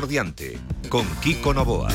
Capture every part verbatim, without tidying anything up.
por diante, con Kiko Novoa.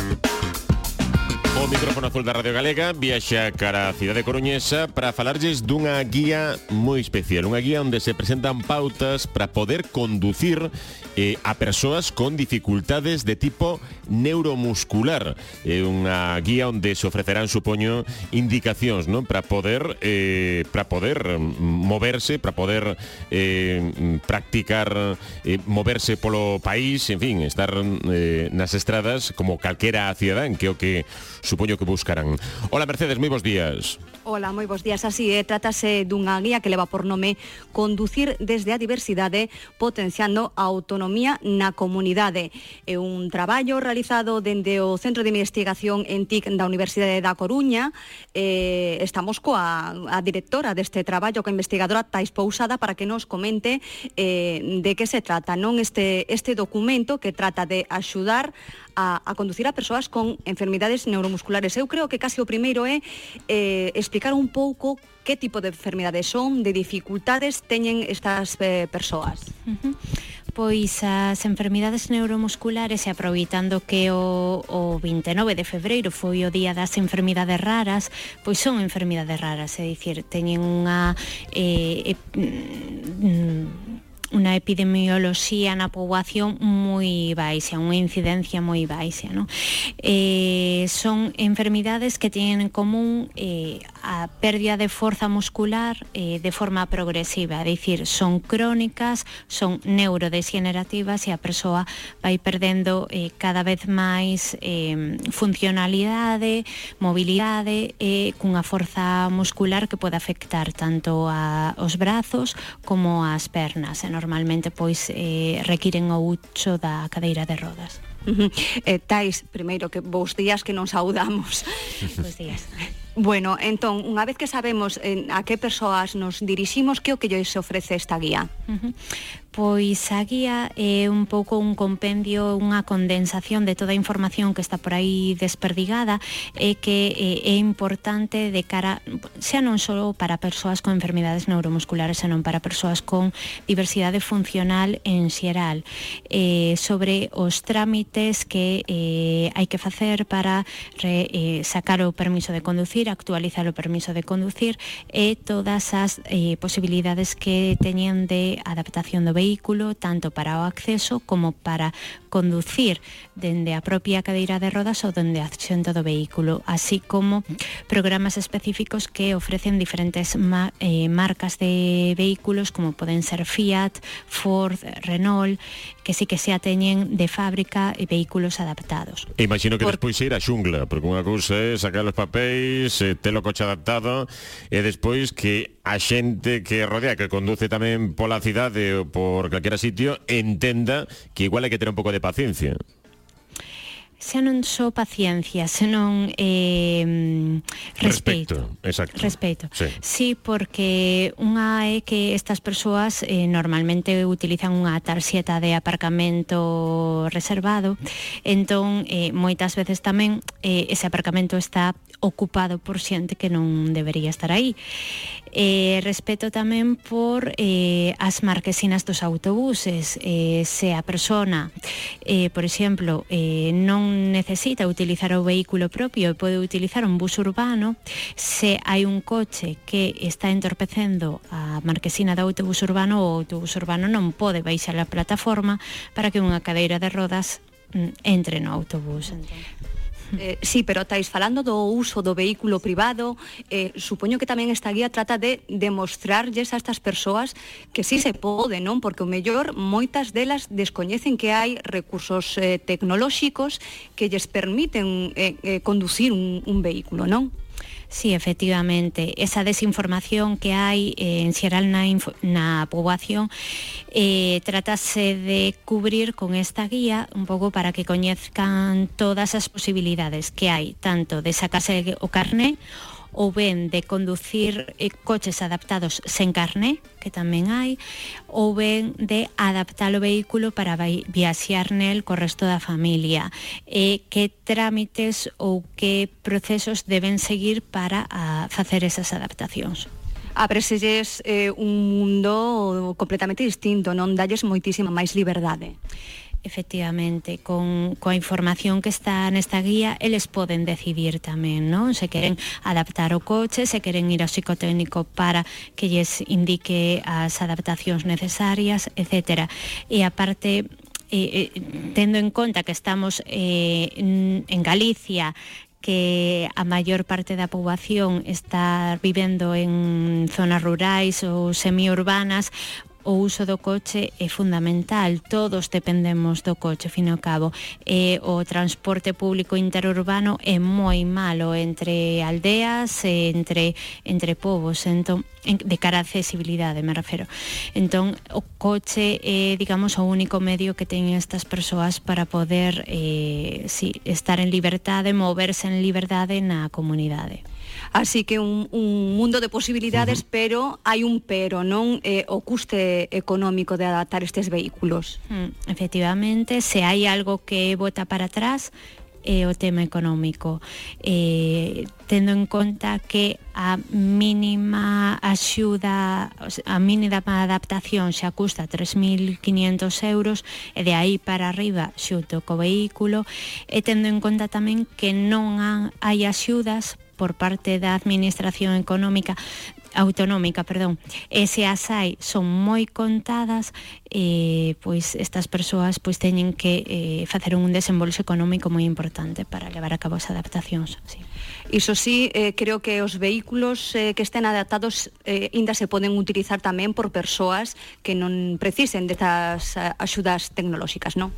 O micrófono azul da Radio Galega viaxa cara a cidade coruñesa para falarlles dunha guía moi especial, unha guía onde se presentan pautas para poder conducir eh, a persoas con dificultades de tipo neuromuscular. É eh, unha guía onde se ofrecerán, supoño, indicacións, non, para poder eh, para poder moverse, para poder eh, practicar eh, moverse polo país, en fin, estar eh, nas estradas como calquera cidadán, que é o que supoño que buscarán. Hola Mercedes, moi bons días. Hola, moi bons días. Así é, trátase dunha guía que leva por nome Conducir desde a diversidade, potenciando a autonomía na comunidade. É un traballo realizado dende o Centro de Investigación en T I C da Universidade da Coruña. Eh, estamos coa a directora deste traballo, coa investigadora Tais Pousada, para que nos comente eh, de que se trata, non, este, este documento que trata de axudar a, a conducir a persoas con enfermidades neuromusculares. Eu creo que casi o primeiro é eh, explicar un pouco que tipo de enfermidades son, de dificultades teñen estas eh, persoas. Uh-huh. Pois as enfermidades neuromusculares, e aproveitando que o, o vinte e nove de febreiro foi o día das enfermidades raras, pois son enfermidades raras, é dicir, teñen unha eh, eh, unha epidemioloxía na poboación moi baixa, unha incidencia moi baixa, non? Eh, son enfermidades que teñen en común eh, a pérdida de forza muscular eh, de forma progresiva, é dicir, son crónicas, son neurodegenerativas e a persoa vai perdendo eh, cada vez máis eh, funcionalidade, mobilidade e eh, cunha forza muscular que pode afectar tanto a, os brazos como as pernas, e normalmente pois eh, requiren o uso da cadeira de rodas. Uh-huh. eh, Tais, primeiro, que bons días, que non saudamos. Bons días. Bueno, entón, unha vez que sabemos eh, a que persoas nos diriximos, que o que lles ofrece esta guía? Uh-huh. Pois a guía é un pouco un compendio, unha condensación de toda a información que está por aí desperdigada e que é importante de cara, xa non só para persoas con enfermidades neuromusculares, senón para persoas con diversidade funcional en xeral, eh, sobre os trámites que eh, hai que facer para re, eh, sacar o permiso de conducir, actualizar o permiso de conducir e todas as eh, posibilidades que teñen de adaptación do vehículo, tanto para o acceso como para conducir dende a propia cadeira de rodas ou dende a asiento do vehículo, así como programas específicos que ofrecen diferentes ma- eh, marcas de vehículos, como poden ser Fiat, Ford, Renault, que sí que se ateñen de fábrica e vehículos adaptados. E imagino que Por... despois ir a xungla, porque unha cousa é sacar os papéis, eh, ter o coche adaptado, e despois que a xente que rodea, que conduce tamén pola cidade ou por calquera sitio, entenda que igual hai que ter un pouco de paciencia. Xa non só paciencia, senón eh, respeito. Respeto, exacto. Respeito. Sí. Sí, porque unha é que estas persoas eh, normalmente utilizan unha tarxeta de aparcamento reservado, entón eh, moitas veces tamén eh, ese aparcamento está ocupado por xente que non debería estar aí. Eh, respeto tamén por eh, as marquesinas dos autobuses. Eh, se a persona, eh, por exemplo, eh, non necesita utilizar o vehículo propio e pode utilizar un bus urbano, se hai un coche que está entorpecendo a marquesina do autobus urbano, o autobus urbano non pode baixar a plataforma para que unha cadeira de rodas mm, entre no autobús. Entón. Eh, sí, pero estáis falando do uso do vehículo privado, eh, supoño que tamén esta guía trata de demostrarlles a estas persoas que sí se pode, non? Porque o mellor moitas delas descoñecen que hai recursos eh, tecnolóxicos que lles permiten eh, eh, conducir un, un vehículo, non? Sí, efectivamente, esa desinformación que hai eh, en xeral na, info, na poboación eh, trátase de cubrir con esta guía un pouco para que coñezcan todas as posibilidades que hai, tanto de sacarse o carné ou ben de conducir eh, coches adaptados sen carné, que tamén hai, ou ben de adaptar o vehículo para viaxear nel co resto da familia, e que trámites ou que procesos deben seguir para a, facer esas adaptacións. Abreselles eh, un mundo completamente distinto, non dalles moitísima máis liberdade. efectivamente, con coa información que está nesta guía, eles poden decidir tamén, non? Se queren adaptar o coche, se queren ir ao psicotécnico para que lles indique as adaptacións necesarias, etcétera. E aparte, eh, eh, tendo en conta que estamos eh, en, en Galicia, que a maior parte da poboación está vivendo en zonas rurais ou semiurbanas, o uso do coche é fundamental, todos dependemos do coche, fin ao cabo, e o transporte público interurbano é moi malo entre aldeas, entre entre povos, entón, de cara á accesibilidade me refero. Entón, o coche é, digamos, o único medio que teñen estas persoas para poder eh, sí, estar en liberdade, moverse en liberdade na comunidade. Así que un, un mundo de posibilidades, uh-huh. pero hai un pero, non? Eh, o custe económico de adaptar estes vehículos. Mm, efectivamente, se hai algo que bota para atrás, é o tema económico, eh, tendo en conta que a mínima axuda, a mínima adaptación xa custa tres mil quinientos euros, e de aí para arriba xunto co vehículo, e tendo en conta tamén que non hai axudas por parte da administración económica autonómica, perdón, e se as hai son moi contadas, eh, pois estas persoas pois teñen que eh, facer un desembolso económico moi importante para levar a cabo as adaptacións. Sí. Iso sí, eh, creo que os vehículos eh, que estén adaptados eh, ainda se poden utilizar tamén por persoas que non precisen destas axudas tecnolóxicas, non?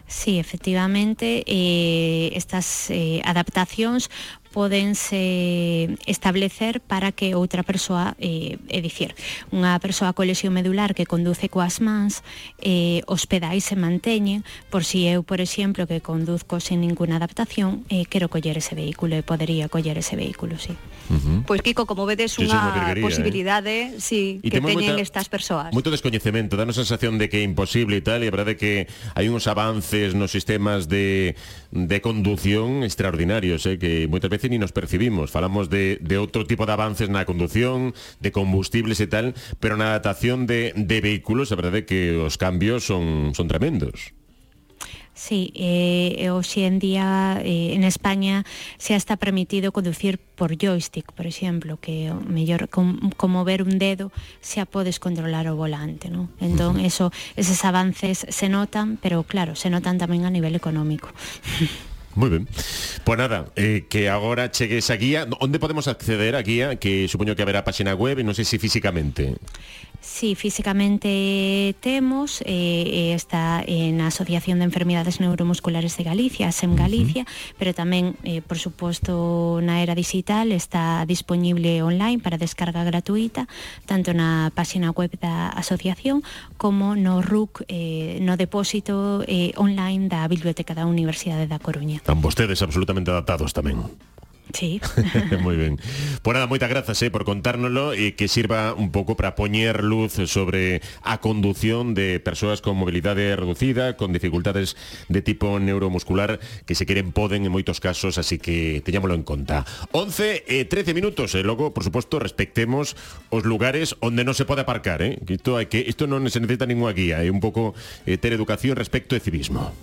Sí, efectivamente, eh, estas eh, adaptacións podense establecer para que outra persoa, eh, é dicir, unha persoa con lesión medular que conduce coas mans, eh, os pedais se manteñen, por si eu, por exemplo, que conduzco sen ninguna adaptación, eh, quero coller ese vehículo e podería coller ese vehículo, sí. Uh-huh. Pois, Kiko, como vedes, sí, unha posibilidade eh? sí, que teñen moita, estas persoas. Moito descoñecemento, danos a sensación de que é imposible e tal, e a verdade que hai uns avances nos sistemas de, de condución extraordinarios, eh, que moitas veces ni nos percibimos. Falamos de, de outro tipo de avances na condución, de combustibles e tal, pero na adaptación de, de vehículos, a verdade que os cambios son, son tremendos. Sí, eh, hoxe en día eh, en España xa está permitido conducir por joystick, por exemplo, que o mellor com, como ver un dedo xa podes controlar o volante, ¿no? Entón, uh-huh. eso, eses avances se notan, pero claro, se notan tamén a nivel económico. Moi ben. Pois nada, eh, que agora chegue esa guía. Onde podemos acceder a guía? Que supoño que haberá página web, non sei se físicamente. Sí, físicamente temos, eh, está na Asociación de Enfermidades Neuromusculares de Galicia, ASEM Galicia, uh-huh. pero tamén, eh, por suposto, na era digital está disponible online para descarga gratuita, tanto na página web da asociación como no R U C, eh, no depósito eh, online da Biblioteca da Universidade da Coruña. Están vostedes absolutamente adaptados tamén. Sí. Moi ben. Pois nada, moitas grazas eh, por contárnoslo e que sirva un pouco para poñer luz sobre a condución de persoas con mobilidade reducida, con dificultades de tipo neuromuscular, que se queren poden en moitos casos, así que teñámoslo en conta. once e trece minutos, e logo, por suposto, respectemos os lugares onde non se pode aparcar, eh? Que isto, hai que, isto non se necesita ninguna guía, é un pouco eh, ter educación respecto de civismo.